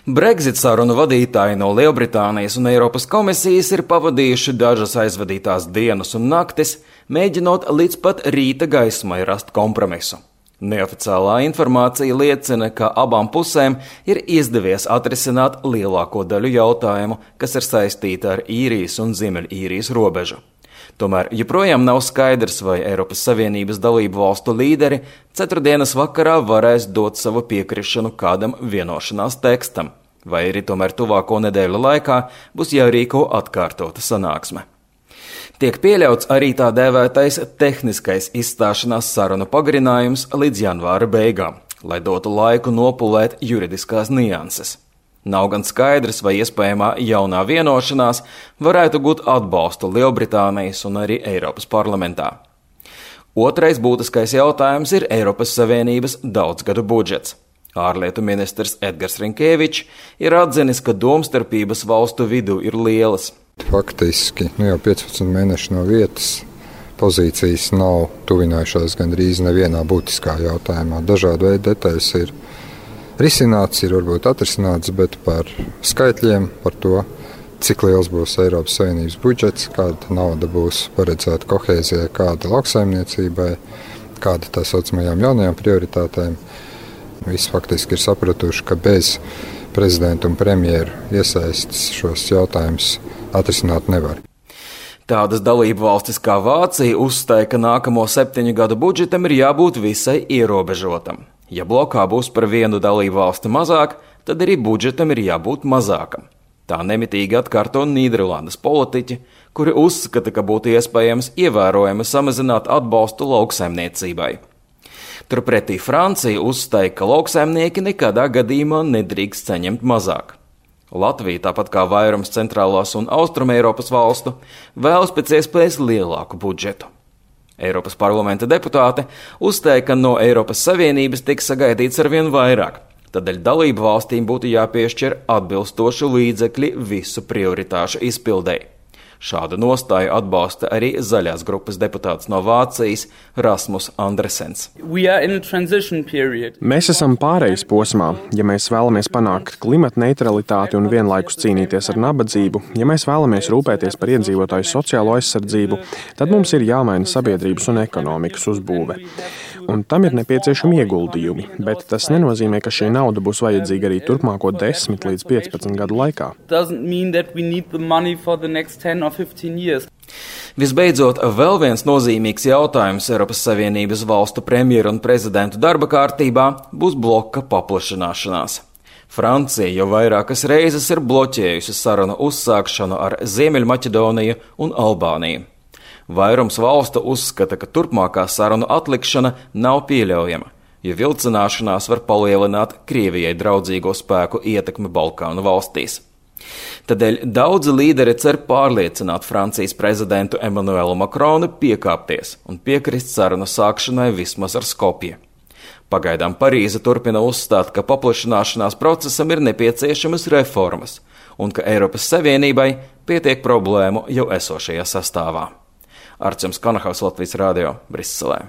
Brexit sarunu vadītāji no Lielbritānijas un Eiropas komisijas ir pavadījuši dažas aizvadītās dienas un naktis, mēģinot līdz pat rīta gaismai rast kompromisu. Neoficiālā informācija liecina, ka abām pusēm ir izdevies atrisināt lielāko daļu jautājumu, kas ir saistīti ar Īrijas un Ziemeļīrijas robežu. Tomēr joprojām nav skaidrs, vai Eiropas Savienības dalību valstu līderi ceturtdienas vakarā varēs dot savu piekrišanu kādam vienošanās tekstam, vai arī tomēr tuvāko nedēļu laikā būs jārīko atkārtota sanāksme. Tiek pieļauts arī tā dēvētais tehniskais izstāšanās sarunu pagarinājums līdz janvāra beigām, lai dotu laiku nopulēt juridiskās nianses. Nav gan skaidrs, vai iespējamā jaunā vienošanās varētu gūt atbalstu Lielbritānijas un arī Eiropas parlamentā. Otrais būtiskais jautājums ir Eiropas Savienības daudzgadu budžets. Ārlietu ministrs Edgars Rinkēvičs ir atzinis, ka domstarpības valstu vidū ir lielas. Faktiski jau 15 mēneši no vietas pozīcijas nav tuvinājušās gandrīz nevienā būtiskā jautājumā. Dažādu veidu detaļas ir risināts, ir varbūt atrisināts, bet par skaitļiem, par to, cik liels būs Eiropas Savienības budžets, kāda nauda būs paredzēta kohēzijai, kāda lauksaimniecībai, kāda tā saucamajām jaunajām prioritātēm. Visi faktiski ir sapratuši, ka bez prezidenta un premjeru iesaistes šos jautājumus atrisināt nevar. Tādas dalību valstis kā Vācija uzstāja, ka nākamo 7 gadu budžetam ir jābūt visai ierobežotam. Ja blokā būs par vienu dalību valsti mazāk, tad arī budžetam ir jābūt mazākam. Tā nemitīgi atkārto Nīderlandes politiķi, kuri uzskata, ka būtu iespējams ievērojami samazināt atbalstu lauksaimniecībai. Turpretī Francija uzstāja, ka lauksaimnieki nekādā gadījumā nedrīkst saņemt mazāk. Latvija, tāpat kā vairums centrālās un austruma Eiropas valstu, vēlas pēc iespējas lielāku budžetu. Eiropas parlamenta deputāte uzstāja, ka no Eiropas Savienības tiks sagaidīts arvien vairāk, tādēļ dalību valstīm būtu jāpiešķir atbilstoši līdzekļi visu prioritāšu izpildei. Šādu nostāju atbalsta arī zaļās grupas deputāts no Vācijas Rasmus Andresens. Mēs esam pārejas posmā. Ja mēs vēlamies panākt klimata neutralitāti un vienlaikus cīnīties ar nabadzību, ja mēs vēlamies rūpēties par iedzīvotāju sociālo aizsardzību, tad mums ir jāmaina sabiedrības un ekonomikas uzbūve. Un tam ir nepieciešami ieguldījumi, bet tas nenozīmē, ka šī nauda būs vajadzīga arī turpmāko 10 līdz 15 gadu laikā. Visbeidzot, vēl viens nozīmīgs jautājums Eiropas Savienības valstu premjeru un prezidentu darba kārtībā būs bloka paplašināšanās. Francija jau vairākas reizes ir bloķējusi sarunu uzsākšanu ar Ziemeļmaķedoniju un Albāniju. Vairums valstu uzskata, ka turpmākā sarunu atlikšana nav pieļaujama, jo vilcināšanās var palielināt Krievijai draudzīgo spēku ietekmi Balkānu valstīs. Tādēļ daudzi līderi cer pārliecināt Francijas prezidentu Emmanuelu Macronu piekāpties un piekrist sarunu sākšanai vismaz ar Skopju. Pagaidām Parīze turpina uzstāt, ka paplašināšanās procesam ir nepieciešamas reformas un ka Eiropas Savienībai pietiek problēmu jau esošajā sastāvā. Arčuns Kanahaus, Latvijas radio, Briselē.